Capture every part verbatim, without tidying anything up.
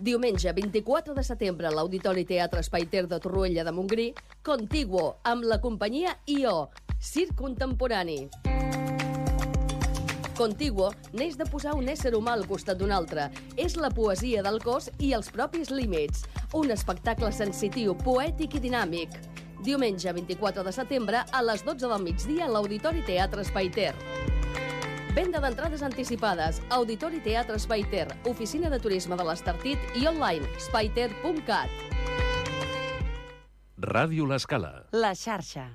Diumenge vint-i-quatre de setembre a l'Auditori Teatre Espai Ter de Torroella de Montgrí, Contiguo, amb la companyia I O, circ contemporani. Contiguo neix de posar un ésser humà al costat d'un altre. És la poesia del cos i els propis límits. Un espectacle sensitiu, poètic i dinàmic. Diumenge vint-i-quatre de setembre a les dotze del migdia a l'Auditori Teatre Espai Ter. Venda d'entrades anticipades. Auditori Teatre Espai Ter, Oficina de Turisme de l'Estartit i online espaiter punt cat. Ràdio L'Escala. La xarxa.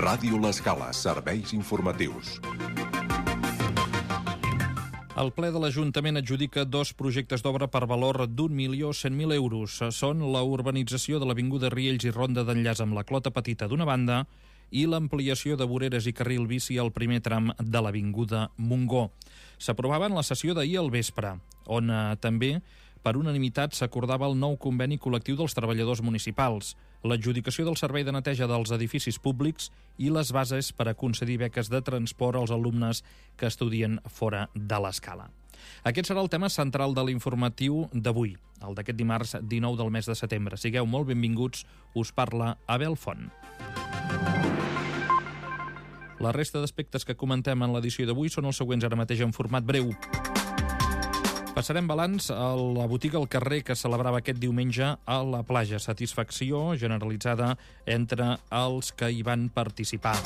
Ràdio L'Escala, serveis informatius. El ple de l'Ajuntament adjudica dos projectes d'obra per valor d'un milió cent mil euros. Són la urbanització de l'Avinguda Riells i Ronda d'Enllaç amb la Clota Petita d'una banda i l'ampliació de voreres i carril bici al primer tram de l'Avinguda Montgó. S'aprovava en la sessió d'ahir al vespre, on eh, també per unanimitat s'acordava el nou conveni col·lectiu dels treballadors municipals, l'adjudicació del servei de neteja dels edificis públics i les bases per a concedir beques de transport als alumnes que estudien fora de l'escala. Aquest serà el tema central de l'informatiu d'avui, el d'aquest dimarts dinou del mes de setembre. Sigueu molt benvinguts, us parla Abel Font. La resta d'aspectes que comentem en l'edició d'avui són els següents ara mateix en format breu. Passarem balanç a la botiga al carrer que celebrava aquest diumenge a la platja. Satisfacció generalitzada entre els que hi van participar.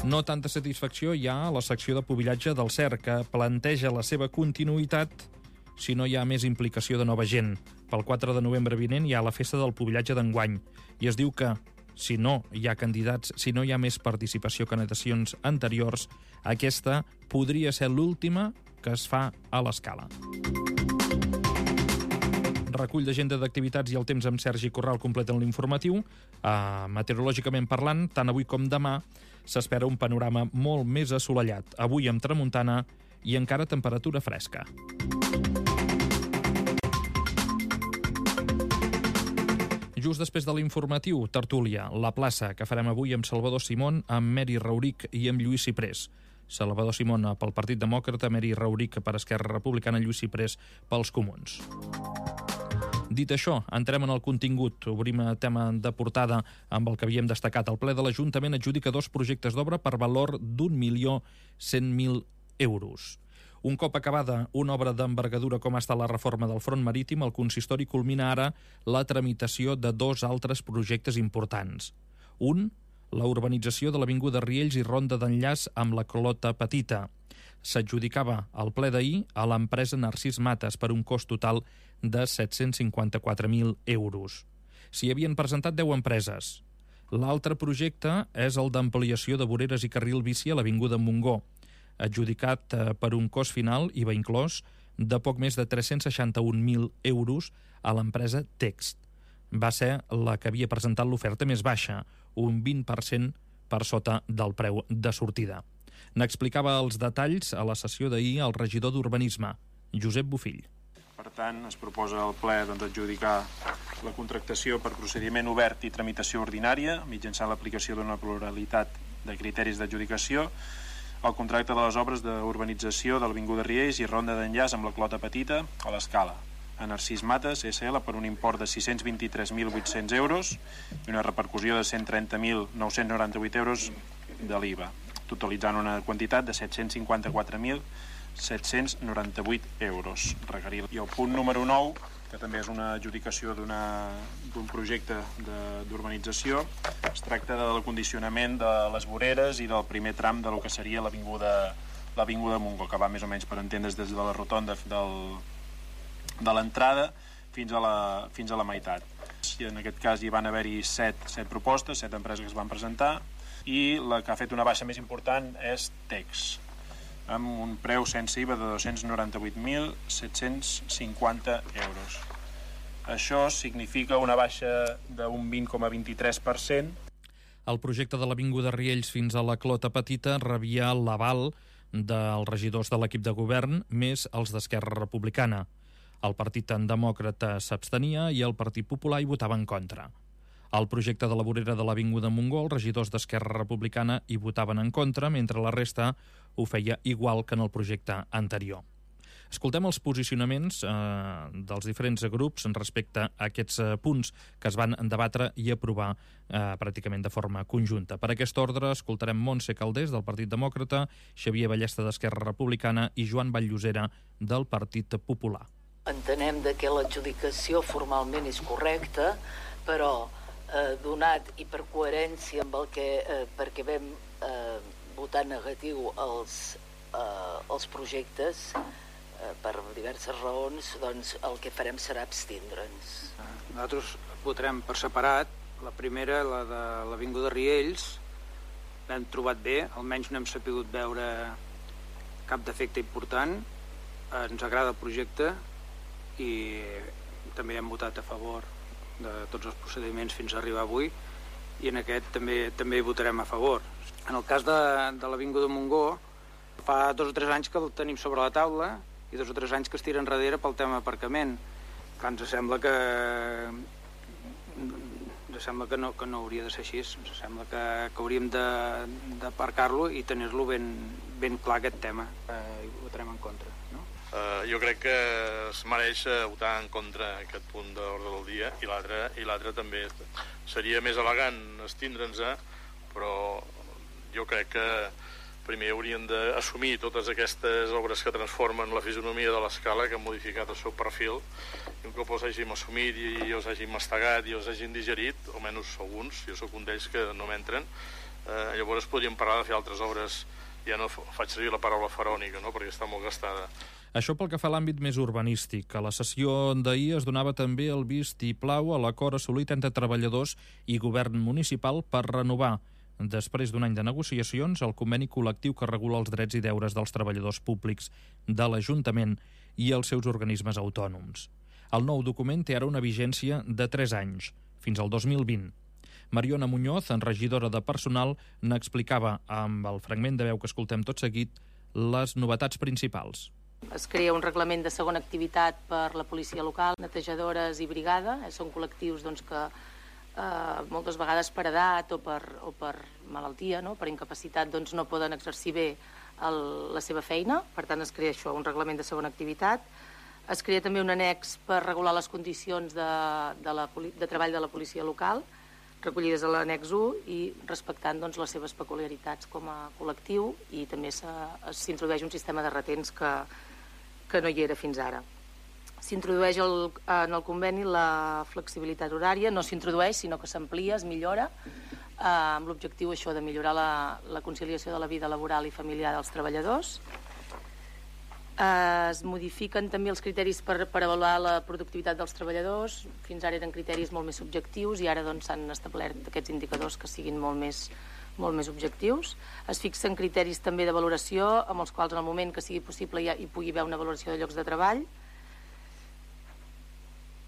No tanta satisfacció hi ha a la secció de pubillatge del C E R, que planteja la seva continuïtat si no hi ha més implicació de nova gent. Pel quatre de novembre vinent hi ha la festa del pubillatge d'enguany i es diu que si no hi ha candidats, si no hi ha més participació que en edicions anteriors, aquesta podria ser l'última que es fa a l'Escala. Recull d'agenda d'activitats i el temps amb Sergi Corral completen l'informatiu. Uh, meteorològicament parlant, tant avui com demà, s'espera un panorama molt més assolellat. Avui amb tramuntana i encara temperatura fresca. Just després de l'informatiu, tertúlia, la plaça, que farem avui amb Salvador Simón, amb Meri Rauric i amb Lluís Ciprés. Salvador Simón pel Partit Demòcrata, Meri Rauric per Esquerra Republicana, Lluís Ciprés pels Comuns. Dit això, entrem en el contingut. Obrim a tema de portada amb el que havíem destacat. El ple de l'Ajuntament adjudica dos projectes d'obra per valor d'un milió cent mil euros. Un cop acabada una obra d'envergadura com ha estat la reforma del front marítim, el consistori culmina ara la tramitació de dos altres projectes importants. Un, la urbanització de l'Avinguda Riells i Ronda d'Enllaç amb la Clota Petita. S'adjudicava al ple d'ahir a l'empresa Narcís Mates per un cost total de set-cents cinquanta-quatre mil euros. S'hi havien presentat deu empreses. L'altre projecte és el d'ampliació de voreres i carril bici a l'Avinguda Montgó, adjudicat per un cost final, I V A inclòs, de poc més de tres-cents seixanta-un mil euros a l'empresa Text. Va ser la que havia presentat l'oferta més baixa, un vint per cent per sota del preu de sortida. N'explicava els detalls a la sessió d'ahir el regidor d'Urbanisme, Josep Bofill. Per tant, es proposa al ple doncs, adjudicar la contractació per procediment obert i tramitació ordinària, mitjançant l'aplicació d'una pluralitat de criteris d'adjudicació, el contracte de les obres d'urbanització de l'Avinguda Riells i Ronda d'Enllaç amb la Clota Petita a l'Escala, a Narcís Mates, S L, per un import de sis-cents vint-i-tres mil vuit-cents euros i una repercussió de cent trenta mil nou-cents noranta-vuit euros de l'I V A, totalitzant una quantitat de set-cents cinquanta-quatre mil set-cents noranta-vuit euros. Requerir. I el punt número nou, que també és una adjudicació d'un projecte d'urbanització, es tracta de l'acondicionament de les voreres i del primer tram de lo que seria l'Avinguda l'Avinguda Montgó, que va més o menys per entendre's des de la rotonda del de l'entrada fins a la, fins a la meitat. I en aquest cas hi van haver-hi set, set propostes, set empreses que es van presentar, i la que ha fet una baixa més important és Tex, amb un preu sense I V A de dos-cents noranta-vuit mil set-cents cinquanta euros. Això significa una baixa d'un vint coma vint-i-tres per cent. El projecte de l'Avinguda Riells fins a la Clota Petita rebia l'aval dels regidors de l'equip de govern més els d'Esquerra Republicana. El Partit Demòcrata s'abstenia i el Partit Popular hi votava en contra. Al projecte de la vorera de l'Avinguda Montgó, els regidors d'Esquerra Republicana hi votaven en contra, mentre la resta ho feia igual que en el projecte anterior. Escoltem els posicionaments eh, dels diferents grups respecte a aquests eh, punts que es van debatre i aprovar eh, pràcticament de forma conjunta. Per aquest ordre escoltarem Montse Calders del Partit Demòcrata, Xavier Ballesta d'Esquerra Republicana i Joan Vallllosera del Partit Popular. Entenem de que l'adjudicació formalment és correcta, però eh, donat i per coherència amb el que, eh, perquè vam eh, votar negatiu als, eh, als projectes, per diverses raons, doncs el que farem serà abstindre'ns. Nosaltres votarem per separat. La primera, la de l'Avinguda Riells, l'hem trobat bé, almenys no hem sapigut veure cap defecte important. Ens agrada el projecte i també hem votat a favor de tots els procediments fins a arribar avui i en aquest també també hi votarem a favor. En el cas de, de l'Avinguda Montgó, fa dos o tres anys que el tenim sobre la taula i dos o tres anys que es tira enrere pel tema aparcament. Clar, ens sembla que ens sembla que no, que no hauria de ser així. Ens sembla que, que hauríem d'aparcar-lo i tenir-lo ben, ben clar aquest tema. Eh, I votarem en contra, no? Uh, jo crec que es mereix votar en contra aquest punt d'ordre del dia i l'altre i l'altre també. Seria més elegant estindre'ns, però jo crec que primer haurien d'assumir totes aquestes obres que transformen la fisonomia de l'escala, que han modificat el seu perfil, i un cop els hàgim assumit i els hàgim mastegat i els hàgim digerit, almenys alguns, jo sóc un d'ells que no m'entren, eh, llavors podríem parlar de fer altres obres. Ja no faig servir la paraula farònica, no?, perquè està molt gastada. Això pel que fa a l'àmbit més urbanístic. A la sessió d'ahir es donava també el vistiplau a l'acord assolit entre treballadors i govern municipal per renovar, després d'un any de negociacions, el conveni col·lectiu que regula els drets i deures dels treballadors públics de l'Ajuntament i els seus organismes autònoms. El nou document té ara una vigència de tres anys, fins al dos mil vint. Mariona Muñoz, regidora de Personal, n'explicava, amb el fragment de veu que escoltem tot seguit, les novetats principals. Es crea un reglament de segona activitat per la policia local, netejadores i brigada. Són col·lectius doncs, que eh, moltes vegades per edat o per, o per malaltia, no? Per incapacitat, doncs, no poden exercir bé el, la seva feina. Per tant, es crea això, un reglament de segona activitat. Es crea també un annex per regular les condicions de, de, la, de treball de la policia local, recollides a l'annex u i respectant doncs, les seves peculiaritats com a col·lectiu, i també s'introdueix un sistema de retents que, que no hi era fins ara. S'introdueix el, en el conveni la flexibilitat horària, no s'introdueix sinó que s'amplia, es millora, eh, amb l'objectiu això de millorar la, la conciliació de la vida laboral i familiar dels treballadors. Es modifiquen també els criteris per, per avaluar la productivitat dels treballadors. Fins ara eren criteris molt més subjectius i ara doncs, s'han establert aquests indicadors que siguin molt més, molt més objectius. Es fixen criteris també de valoració amb els quals en el moment que sigui possible hi, ha, hi pugui haver una valoració de llocs de treball.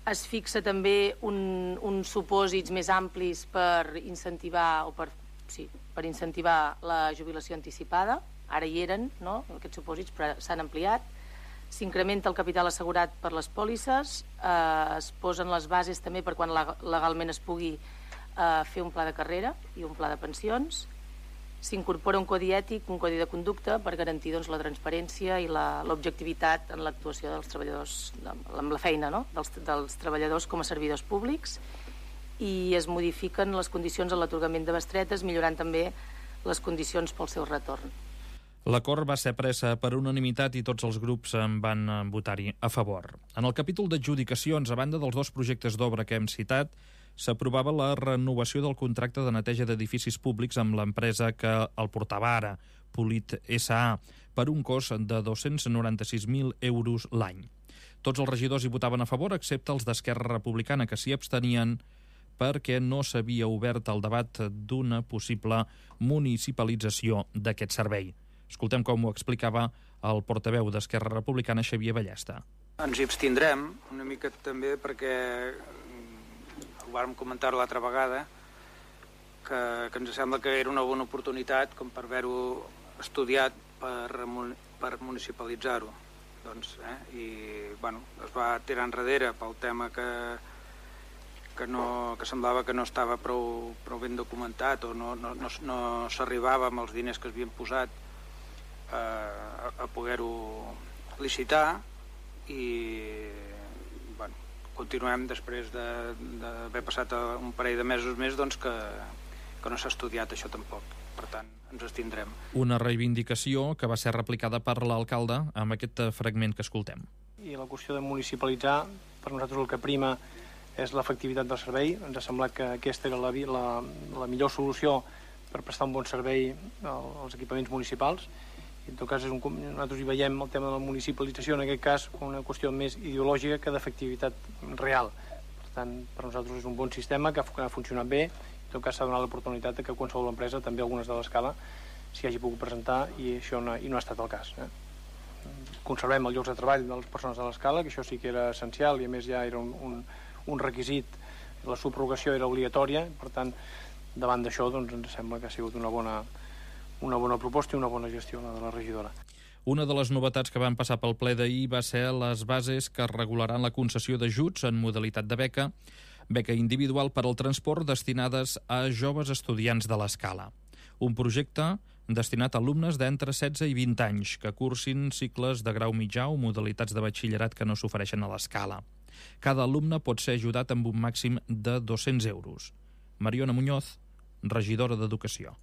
Es fixa també un, uns supòsits més amplis per incentivar, o per, sí, per incentivar la jubilació anticipada. Ara hi eren, no?, aquests supòsits, però s'han ampliat. S'incrementa el capital assegurat per les pòlisses, eh, es posen les bases també per quan legalment es pugui eh, fer un pla de carrera i un pla de pensions. S'incorpora un codi ètic, un codi de conducta per garantir doncs, la transparència i l'objectivitat en l'actuació dels treballadors, amb la feina, no?, dels, dels treballadors com a servidors públics, i es modifiquen les condicions en l'atorgament de bestretes, millorant també les condicions pel seu retorn. L'acord va ser presa per unanimitat i tots els grups en van votar-hi a favor. En el capítol d'adjudicacions, a banda dels dos projectes d'obra que hem citat, s'aprovava la renovació del contracte de neteja d'edificis públics amb l'empresa que el portava ara, Polit S A, per un cost de dos-cents noranta-sis mil euros l'any. Tots els regidors hi votaven a favor, excepte els d'Esquerra Republicana, que s'hi abstenien perquè no s'havia obert el debat d'una possible municipalització d'aquest servei. Escoltem com ho explicava el portaveu d'Esquerra Republicana, Xavier Ballesta. Ens hi abstindrem una mica també perquè ho vàrem comentar l'altra vegada que, que ens sembla que era una bona oportunitat com per haver-ho estudiat per, per municipalitzar-ho. doncs, eh? I bueno, es va tirar enrere pel tema que, que, no, que semblava que no estava prou, prou ben documentat o no, no, no, no s'arribava amb els diners que es havien posat eh, a, a poder-ho licitar i bueno, continuem després d'haver de, passat un parell de mesos més doncs que, que no s'ha estudiat això tampoc, per tant ens abstindrem. Una reivindicació que va ser replicada per l'alcalde amb aquest fragment que escoltem. I la qüestió de municipalitzar, per nosaltres el que prima és l'efectivitat del servei. Ens ha semblat que aquesta era la, la, la millor solució per prestar un bon servei als equipaments municipals. I en tot cas, és un, nosaltres hi veiem el tema de la municipalització, en aquest cas, com una qüestió més ideològica que d'efectivitat real. Per tant, per nosaltres és un bon sistema que ha funcionat bé. En tot cas, s'ha donat l'oportunitat que qualsevol empresa, també algunes de l'escala, s'hi hagi pogut presentar i això no, i no ha estat el cas. Eh? Conservem els llocs de treball de les persones de l'escala, que això sí que era essencial i a més ja era un, un, un requisit, la subrogació era obligatòria, per tant, davant d'això doncs, ens sembla que ha sigut una bona una bona proposta i una bona gestió, la de la regidora. Una de les novetats que van passar pel ple d'ahir va ser les bases que regularan la concessió d'ajuts en modalitat de beca, beca individual per al transport destinades a joves estudiants de l'escala. Un projecte destinat a alumnes d'entre setze i vint anys que cursin cicles de grau mitjà o modalitats de batxillerat que no s'ofereixen a l'escala. Cada alumne pot ser ajudat amb un màxim de dos-cents euros. Mariona Muñoz, regidora d'Educació.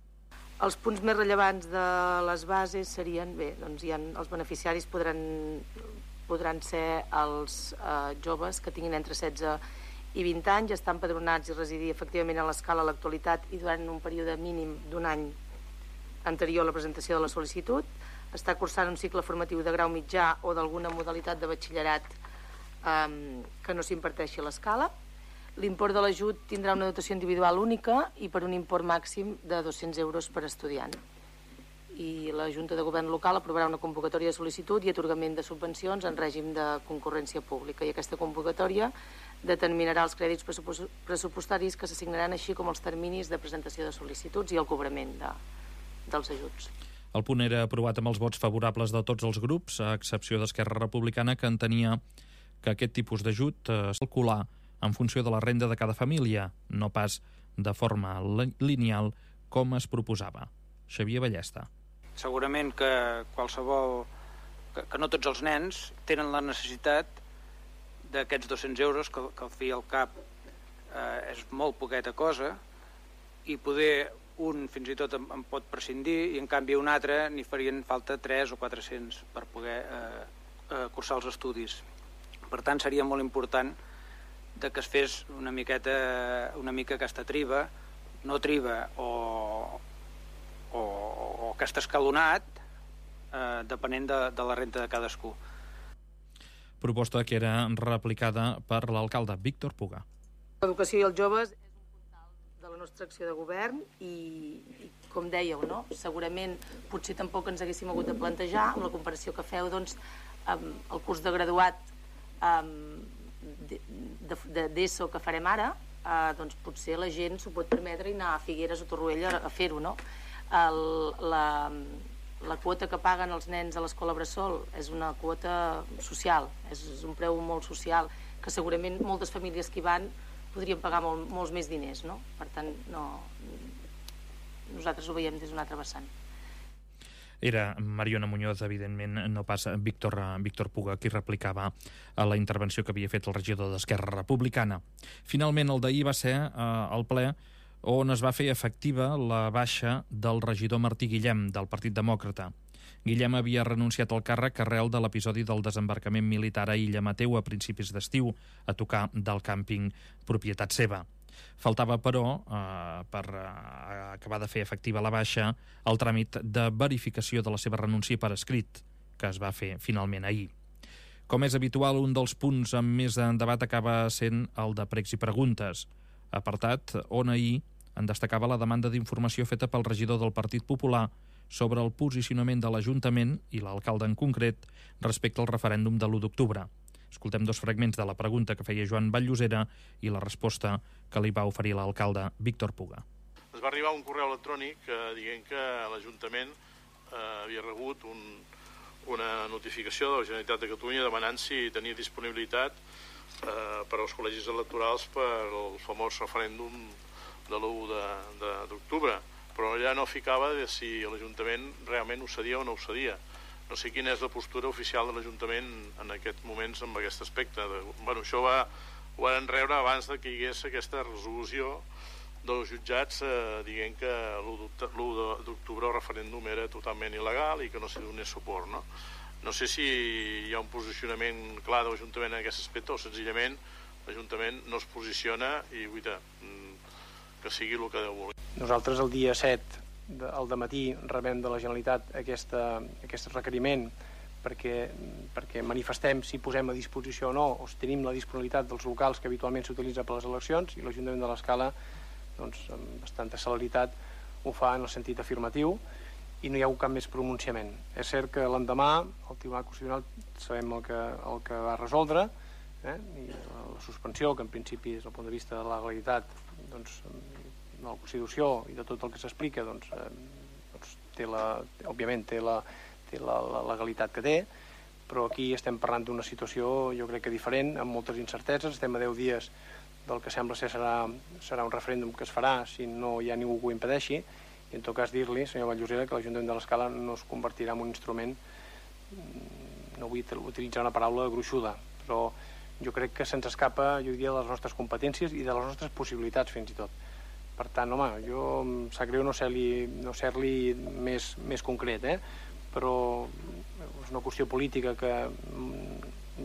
Els punts més rellevants de les bases serien, bé, doncs hi ha, els beneficiaris podran, podran ser els eh, joves que tinguin entre setze i vint anys, estan empadronats i residir efectivament a l'escala a l'actualitat i durant un període mínim d'un any anterior a la presentació de la sol·licitud, està cursant un cicle formatiu de grau mitjà o d'alguna modalitat de batxillerat eh, que no s'imparteixi a l'escala. L'import de l'ajut tindrà una dotació individual única i per un import màxim de dos-cents euros per estudiant. I la Junta de Govern local aprovarà una convocatòria de sol·licitud i atorgament de subvencions en règim de concurrència pública. I aquesta convocatòria determinarà els crèdits pressupostaris que s'assignaran, així com els terminis de presentació de sol·licituds i el cobrament de, dels ajuts. El punt era aprovat amb els vots favorables de tots els grups, a excepció d'Esquerra Republicana, que entenia que aquest tipus d'ajut es calcula en funció de la renda de cada família, no pas de forma lineal com es proposava. Xavier Ballesta. Segurament que qualsevol... que, que no tots els nens tenen la necessitat d'aquests dos-cents euros, que, que al fi i al cap eh, és molt poqueta cosa, i poder un fins i tot en, en pot prescindir i en canvi un altre n'hi farien falta tres o quatre-cents per poder eh, eh, cursar els estudis. Per tant, seria molt important de que es fes una miqueta, una mica aquesta triba, no triba o, o, o aquest escalonat, eh, depenent de, de la renta de cadascú. Proposta que era replicada per l'alcalde Víctor Puga. L'educació i els joves és un puntal de la nostra acció de govern i, i com dèieu, no? Segurament potser tampoc ens haguéssim hagut de plantejar amb la comparació que feu, doncs, amb el curs de graduat amb d'ESO que farem ara, eh, doncs potser la gent s'ho pot permetre i anar a Figueres o Torroella a fer-ho, no? El, la, la quota que paguen els nens a l'escola Bressol és una quota social, és, és un preu molt social, que segurament moltes famílies que hi van podrien pagar molt, molts més diners, no? Per tant, no, nosaltres ho veiem des d'un altre vessant. Era Mariona Muñoz, evidentment, no pas Víctor, Víctor Puga, qui replicava a la intervenció que havia fet el regidor d'Esquerra Republicana. Finalment, el d'ahir va ser eh, el ple on es va fer efectiva la baixa del regidor Martí Guillem, del Partit Demòcrata. Guillem havia renunciat al càrrec arrel de l'episodi del desembarcament militar a Illa Mateu a principis d'estiu, a tocar del càmping propietat seva. Faltava, però, eh, per eh, acabar de fer efectiva la baixa, el tràmit de verificació de la seva renúncia per escrit, que es va fer finalment ahir. Com és habitual, un dels punts amb més en debat acaba sent el de pregs i preguntes, apartat on ahir en destacava la demanda d'informació feta pel regidor del Partit Popular sobre el posicionament de l'Ajuntament, i l'alcalde en concret, respecte al referèndum de l'u d'octubre. Escoltem dos fragments de la pregunta que feia Joan Vall-llosera i la resposta que li va oferir l'alcalde Víctor Puga. Es va arribar un correu electrònic eh, dient que l'Ajuntament eh, havia rebut un, una notificació de la Generalitat de Catalunya demanant si tenia disponibilitat eh, per als col·legis electorals per al famós referèndum de l'u d'octubre, però allà no ficava de si l'Ajuntament realment ho cedia o no ho cedia. No sé quina és la postura oficial de l'Ajuntament en aquests moments amb aquest aspecte. Bueno, això va, ho van rebre abans de que hi hagués aquesta resolució dels jutjats eh, dient que l'u d'octubre el referèndum era totalment il·legal i que no s'hi donés suport, no? No sé si hi ha un posicionament clar de l'Ajuntament en aquest aspecte o senzillament l'Ajuntament no es posiciona i, guaita, que sigui el que deu voler. Nosaltres el dia set al dematí rebem de la Generalitat aquesta, aquest requeriment perquè, perquè manifestem si posem a disposició o no, o si tenim la disponibilitat dels locals que habitualment s'utilitza per les eleccions, i l'Ajuntament de l'Escala, doncs, amb bastanta celeritat, ho fa en el sentit afirmatiu i no hi ha hagut cap més pronunciament. És cert que l'endemà el Tribunal Constitucional sabem el que, el que va resoldre, eh? I la, la suspensió, que en principi des del punt de vista de la legalitat, doncs, de la Constitució i de tot el que s'explica, doncs, eh, doncs té la, òbviament té, la, té la, la legalitat que té, però aquí estem parlant d'una situació jo crec que diferent, amb moltes incerteses. Estem a deu dies del que sembla ser serà, serà un referèndum que es farà si no hi ha ningú que ho impedeixi, i en tot cas dir-li, senyor Vallosera, que l'Ajuntament de l'Escala no es convertirà en un instrument, no vull utilitzar una paraula gruixuda, però jo crec que se'ns escapa, jo diria, de les nostres competències i de les nostres possibilitats fins i tot. Per tant, home, jo em sap greu no ser-li no ser-li més, més concret, eh? Però és una qüestió política que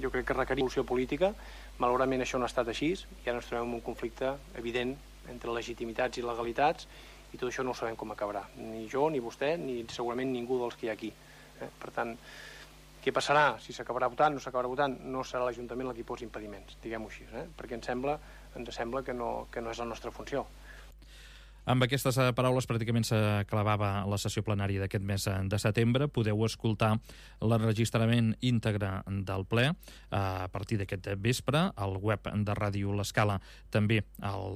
jo crec que requeria solució política. Malauradament això no ha estat així i ara ens trobem en un conflicte evident entre legitimitats i legalitats i tot això no ho sabem com acabarà. Ni jo, ni vostè, ni segurament ningú dels que hi ha aquí. Eh? Per tant, què passarà? Si s'acabarà votant, no s'acabarà votant, no serà l'Ajuntament el qui posi impediments, diguem-ho així, eh? Perquè ens sembla, ens sembla que, no, que no és la nostra funció. Amb aquestes paraules pràcticament s'acabava la sessió plenària d'aquest mes de setembre. Podeu escoltar l'enregistrament íntegre del ple a partir d'aquest vespre al web de Ràdio L'Escala. També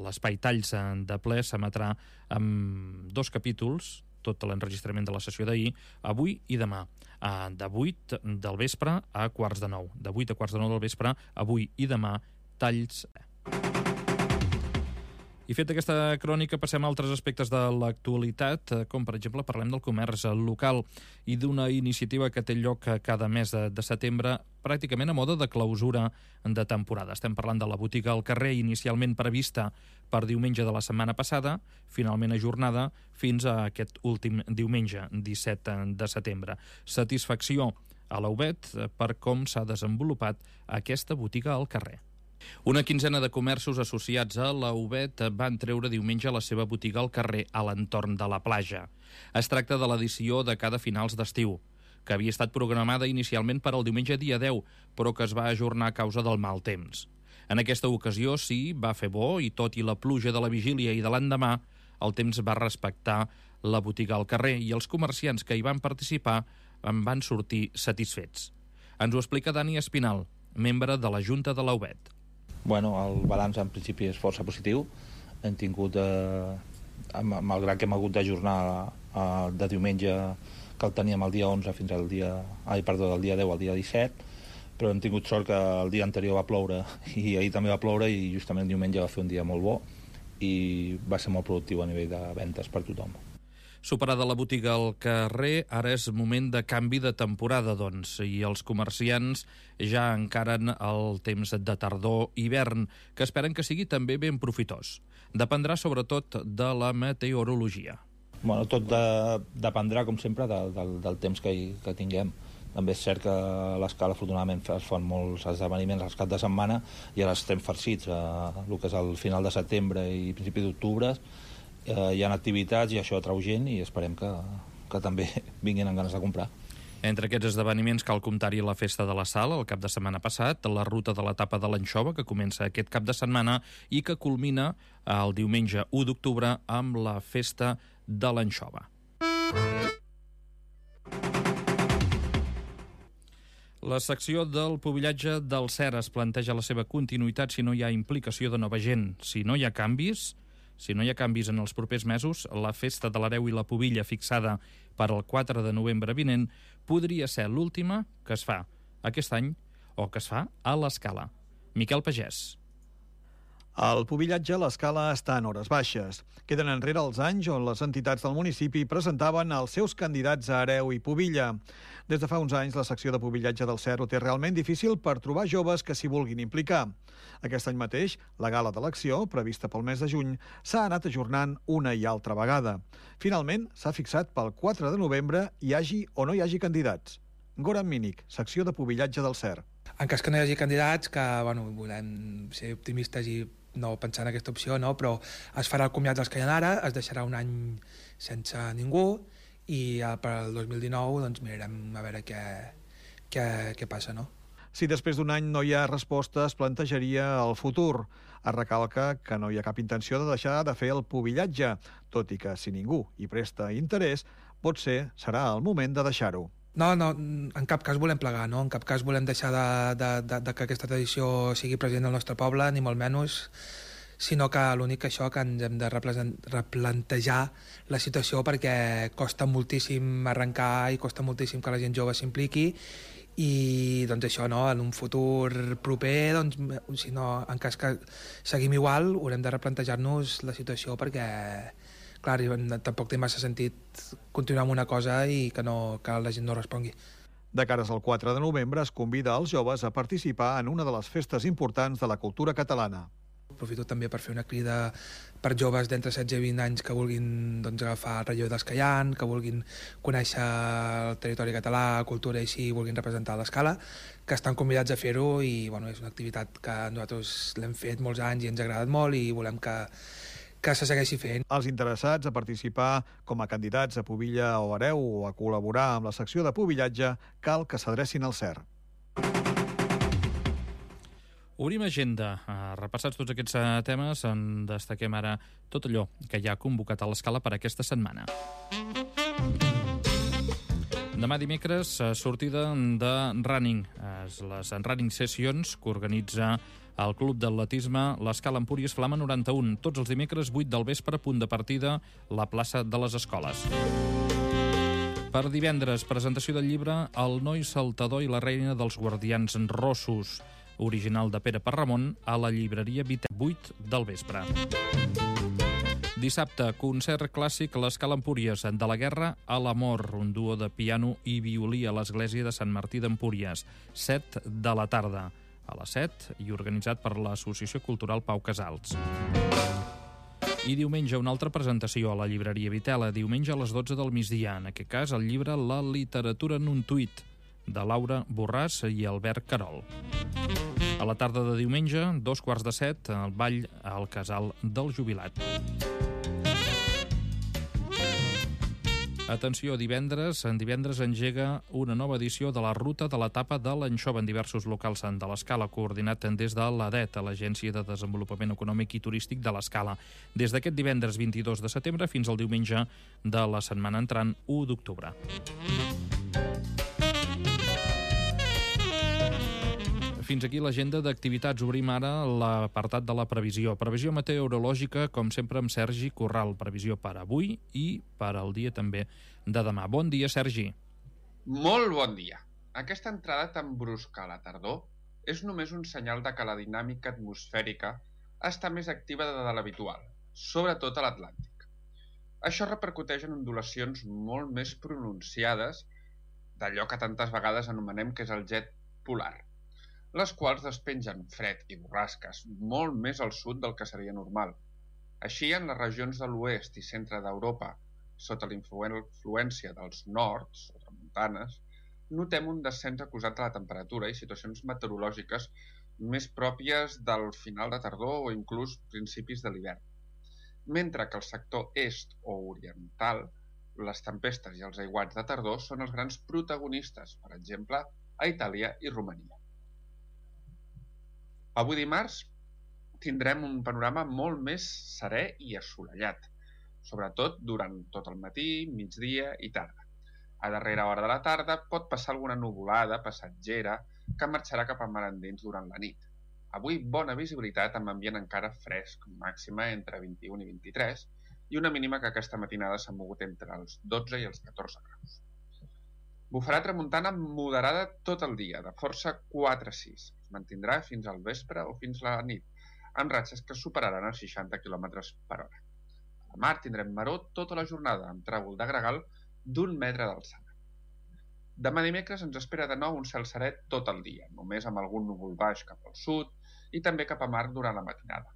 l'espai Talls de ple s'emetrà amb dos capítols, tot l'enregistrament de la sessió d'ahir, avui i demà, de vuit del vespre a quarts de nou. De vuit a quarts de nou del vespre, avui i demà, Talls. I fet aquesta crònica, passem a altres aspectes de l'actualitat, com per exemple parlem del comerç local i d'una iniciativa que té lloc cada mes de setembre, pràcticament a mode de clausura de temporada. Estem parlant de la botiga al carrer, inicialment prevista per diumenge de la setmana passada, finalment ajornada fins a aquest últim diumenge, disset de setembre. Satisfacció a la U B E T per com s'ha desenvolupat aquesta botiga al carrer. Una quinzena de comerços associats a la U B E T van treure diumenge la seva botiga al carrer a l'entorn de la platja. Es tracta de l'edició de cada finals d'estiu, que havia estat programada inicialment per al diumenge dia deu, però que es va ajornar a causa del mal temps. En aquesta ocasió sí, va fer bo i tot i la pluja de la vigília i de l'endemà, el temps va respectar la botiga al carrer i els comerciants que hi van participar en van sortir satisfets. Ens ho explica Dani Espinal, membre de la Junta de la U B E T. Bueno, el balanç en principi és força positiu. Hem tingut, eh, malgrat que hem hagut d'ajornar eh, de diumenge que el teníem el dia onze fins al dia, ai, perdó, del dia deu al dia disset, però hem tingut sort que el dia anterior va ploure i ahir també va ploure i justament el diumenge va fer un dia molt bo i va ser molt productiu a nivell de ventes per tothom. Superada la botiga al carrer, ara és moment de canvi de temporada, doncs, i els comerciants ja encaren el temps de tardor-hivern, que esperen que sigui també ben profitós. Dependrà sobretot de la meteorologia. Bueno, tot de, dependrà, com sempre, de, de, del temps que, hi, que tinguem. També és cert que a l'Escala, afortunadament, es fan molts esdeveniments als caps de setmana i ara estem farcits. Eh, el que és el final de setembre i principi d'octubre, eh, hi ha activitats i això atrau gent i esperem que, que també vinguin amb ganes de comprar. Entre aquests esdeveniments cal comptar-hi la Festa de la Sal el cap de setmana passat, la ruta de l'etapa de l'anxova, que comença aquest cap de setmana i que culmina el diumenge u d'octubre amb la Festa de l'anxova. La secció del pubillatge del Cer es planteja la seva continuïtat si no hi ha implicació de nova gent. Si no hi ha canvis, si no hi ha canvis en els propers mesos, la Festa de l'Hereu i la Pubilla fixada per al quatre de novembre vinent podria ser l'última que es fa aquest any o que es fa a l'Escala. Miquel Pagès. El pubillatge a l'Escala està en hores baixes. Queden enrere els anys on les entitats del municipi presentaven els seus candidats a hereu i pubilla. Des de fa uns anys, la secció de pubillatge del Cer ho té realment difícil per trobar joves que s'hi vulguin implicar. Aquest any mateix, la gala d'elecció, prevista pel mes de juny, s'ha anat ajornant una i altra vegada. Finalment, s'ha fixat pel quatre de novembre, hi hagi o no hi hagi candidats. Goran Mínic, secció de pubillatge del Cer. En cas que no hi hagi candidats, que bueno, volem ser optimistes i no pensar en aquesta opció, no? Però es farà el comiat dels que hi ha ara, es deixarà un any sense ningú i per al dos mil dinou doncs, mirarem a veure què, què, què passa, no? Si després d'un any no hi ha resposta, es plantejaria el futur. Es recalca que no hi ha cap intenció de deixar de fer el pubillatge, tot i que si ningú hi presta interès, potser serà el moment de deixar-ho. No, no, en cap cas volem plegar, no? En cap cas volem deixar de, de, de, de que aquesta tradició sigui present al nostre poble, ni molt menys, sinó que l'únic que això que ens hem de replantejar la situació perquè costa moltíssim arrencar i costa moltíssim que la gent jove s'impliqui i doncs això, no? En un futur proper, doncs, si no, en cas que seguim igual, haurem de replantejar-nos la situació perquè clar, tampoc té massa sentit continuar amb una cosa i que, no, que la gent no respongui. De cares al quatre de novembre es convida els joves a participar en una de les festes importants de la cultura catalana. Aprofito també per fer una crida per joves d'entre setze i vint anys que vulguin doncs, agafar el relleu dels que hi ha, que vulguin conèixer el territori català, cultura i així, vulguin representar l'Escala, que estan convidats a fer-ho i bueno, és una activitat que nosaltres l'hem fet molts anys i ens ha agradat molt i volem que que se segueixi fent. Els interessats a participar com a candidats a pubilla o hereu o a col·laborar amb la secció de pubillatge cal que s'adrecin al Cer. Obrim agenda. Repassats tots aquests temes, en destaquem ara tot allò que ja ha convocat a l'Escala per aquesta setmana. Demà dimecres, sortida de running. Les running sessions que organitza el Club d'Atletisme l'Escala Empúries Flama noranta-un. Tots els dimecres, vuit del vespre, punt de partida, la plaça de les Escoles. Per divendres, presentació del llibre El noi saltador i la reina dels guardians rossos, original de Pere Parramon, a la llibreria Vita, vuit del vespre. Dissabte, concert clàssic a l'Escala Empúries, de la guerra a l'amor, un duo de piano i violí a l'església de Sant Martí d'Empúries, set de la tarda, a les set, i organitzat per l'Associació Cultural Pau Casals. I diumenge, una altra presentació a la llibreria Vitela, diumenge a les dotze del migdia, en aquest cas el llibre La literatura en un tuit, de Laura Borràs i Albert Carol. A la tarda de diumenge, dos quarts de set, el ball al Casal del Jubilat. Atenció, divendres, en divendres engega una nova edició de la Ruta de l'Etapa de l'Anxova en diversos locals de l'Escala, coordinat des de l'A D E T, l'Agència de Desenvolupament Econòmic i Turístic de l'Escala, des d'aquest divendres vint-i-dos de setembre fins al diumenge de la setmana entrant, u d'octubre. Fins aquí l'agenda d'activitats. Obrim ara l'apartat de la previsió. Previsió meteorològica, com sempre, amb Sergi Corral. Previsió per avui i per al dia també de demà. Bon dia, Sergi. Molt bon dia. Aquesta entrada tan brusca a la tardor és només un senyal de que la dinàmica atmosfèrica està més activa de l'habitual, sobretot a l'Atlàntic. Això repercuteix en ondulacions molt més pronunciades d'allò que tantes vegades anomenem que és el jet polar, les quals despengen fred i borrasques molt més al sud del que seria normal. Així, en les regions de l'oest i centre d'Europa, sota la influència dels nords o tramuntanes, notem un descens acusat de la temperatura i situacions meteorològiques més pròpies del final de tardor o inclús principis de l'hivern. Mentre que al sector est o oriental, les tempestes i els aiguats de tardor són els grans protagonistes, per exemple, a Itàlia i Romania. Avui dimarts tindrem un panorama molt més serè i assolellat, sobretot durant tot el matí, migdia i tarda. A darrera hora de la tarda pot passar alguna nuvolada passatgera que marxarà cap a mar endins durant la nit. Avui bona visibilitat amb ambient encara fresc, màxima entre vint-i-un i vint-i-tres, i una mínima que aquesta matinada s'ha mogut entre els dotze i els catorze graus. Bufarà tramuntana moderada tot el dia, de força quatre a sis. Es mantindrà fins al vespre o fins a la nit, amb ratxes que superaran els seixanta quilòmetres per hora. A la mar tindrem maror tota la jornada, amb tràgol de gregal d'un metre d'alçada. Demà dimecres ens espera de nou un cel serè tot el dia, només amb algun núvol baix cap al sud i també cap a mar durant la matinada.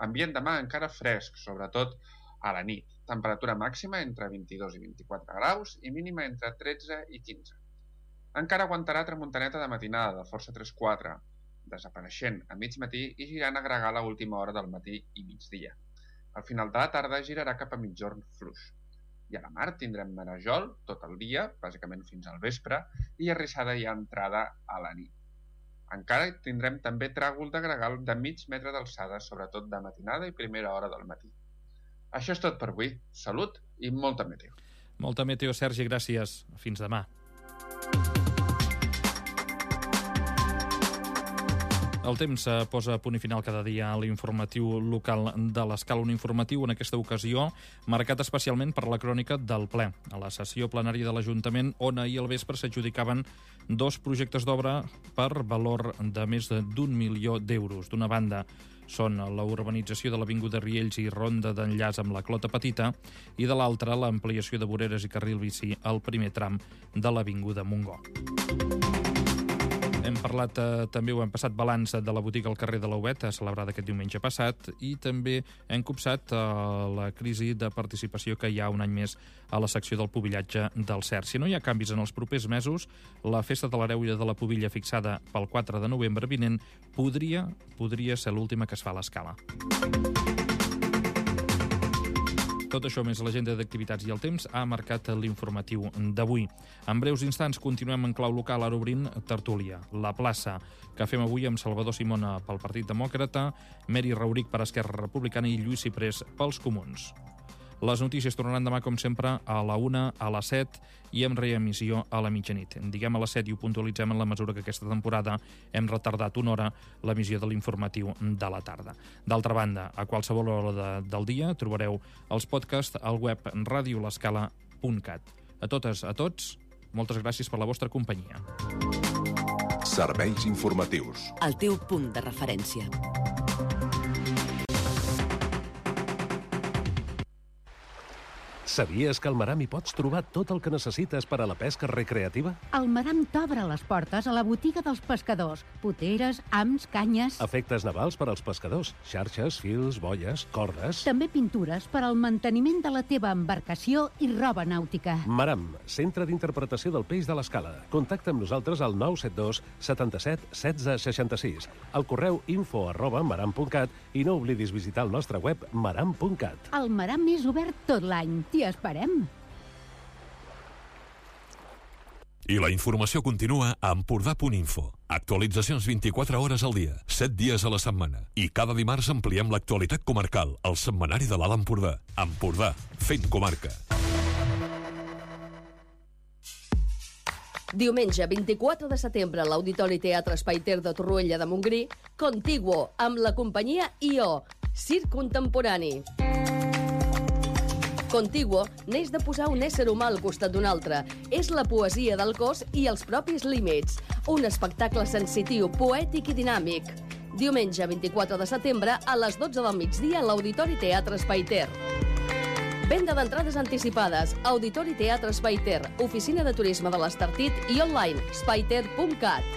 Ambient demà encara fresc, sobretot a la nit. Temperatura màxima entre vint-i-dos i vint-i-quatre graus i mínima entre tretze i quinze. Encara aguantarà tramuntaneta de matinada de força tres quatre, desapareixent a mig matí i girant a gregar a l'última hora del matí i migdia. Al final de la tarda girarà cap a migjorn fluix. I a la mar tindrem marejol tot el dia, bàsicament fins al vespre, i arrissada i entrada a la nit. Encara tindrem també tràgol de gregal de mig metre d'alçada, sobretot de matinada i primera hora del matí. Això és tot per avui. Salut i molta meteo. Molta meteo, Sergi, gràcies. Fins demà. El temps posa punt i final cada dia a l'informatiu local de l'Escala, un informatiu en aquesta ocasió marcat especialment per la crònica del ple. A la sessió plenària de l'Ajuntament, on ahir al vespre s'adjudicaven dos projectes d'obra per valor de més d'un milió d'euros. D'una banda, són la urbanització de l'Avinguda Riells i ronda d'enllaç amb la Clota Petita, i de l'altra, l'ampliació de voreres i carril bici al primer tram de l'Avinguda Montgó. Hem parlat, eh, també ho hem passat, balanç de la botiga al carrer de l'Auet, celebrada aquest diumenge passat, i també hem copsat eh, la crisi de participació que hi ha un any més a la secció del pubillatge del Cert. Si no hi ha canvis en els propers mesos, la festa de l'Hereu i de la Pubilla fixada pel quatre de novembre vinent podria, podria ser l'última que es fa a l'Escala. Tot això més l'agenda d'activitats i el temps ha marcat l'informatiu d'avui. En breus instants continuem en clau local, ara obrint tertúlia. La plaça que fem avui amb Salvador Simona pel Partit Demòcrata, Meri Rauric per Esquerra Republicana i Lluís Ciprés pels Comuns. Les notícies tornaran demà, com sempre, a la una, a les set i amb reemissió a la mitjanit. Diguem a les set i ho puntualitzem en la mesura que aquesta temporada hem retardat una hora l'emissió de l'informatiu de la tarda. D'altra banda, a qualsevol hora de, del dia trobareu els podcasts al web radio l'escala punt cat. A totes, a tots, moltes gràcies per la vostra companyia. Serveis informatius. El teu punt de referència. Sabies que al Maram hi pots trobar tot el que necessites per a la pesca recreativa? El Maram t'obre les portes a la botiga dels pescadors. Poteres, hams, canyes... Efectes navals per als pescadors. Xarxes, fils, bolles, cordes... També pintures per al manteniment de la teva embarcació i roba nàutica. Maram, centre d'interpretació del peix de l'Escala. Contacta amb nosaltres al nou set dos setanta-set setze seixanta-sis, al correu info arroba maram punt cat i no oblidis visitar el nostre web maram punt cat. El Maram és obert tot l'any. T'hi esperem. I la informació continua a empordà punt info. Actualitzacions vint-i-quatre hores al dia, set dies a la setmana. I cada dimarts ampliem l'actualitat comarcal, al setmanari de l'Alt Empordà. Empordà, fent comarca. Diumenge vint-i-quatre de setembre a l'Auditori Teatre Espai Ter de Torroella de Montgrí, Contiguo, amb la companyia I O, Circ Contemporani. Contiguo neix de posar un ésser humà al costat d'un altre. És la poesia del cos i els propis límits. Un espectacle sensitiu, poètic i dinàmic. Diumenge vint-i-quatre de setembre a les dotze del migdia a l'Auditori Teatre Espai Ter. Venda d'entrades anticipades. Auditori Teatre Espai Ter, oficina de turisme de l'Estartit i online spaiter punt cat.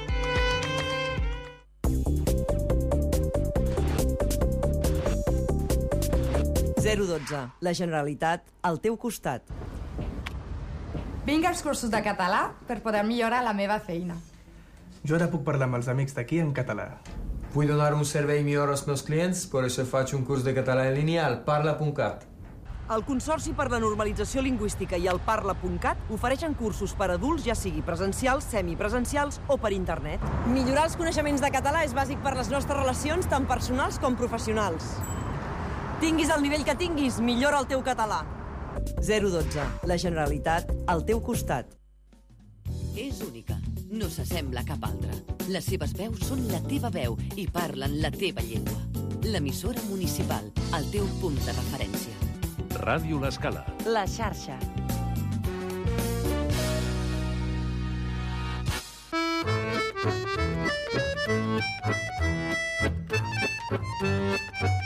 zero dotze. La Generalitat al teu costat. Vinc als cursos de català per poder millorar la meva feina. Jo ara puc parlar amb els amics d'aquí en català. Vull donar un servei millor als meus clients, per això faig un curs de català en línia al parla punt cat. El Consorci per la Normalització Lingüística i el parla punt cat ofereixen cursos per adults, ja sigui presencials, semipresencials o per internet. Millorar els coneixements de català és bàsic per les nostres relacions, tant personals com professionals. Tinguis el nivell que tinguis, millora el teu català. zero dotze. La Generalitat al teu costat. És única. No s'assembla a cap altra. Les seves veus són la teva veu i parlen la teva llengua. L'emissora municipal, el teu punt de referència. Ràdio L'Escala. La xarxa. Thank you.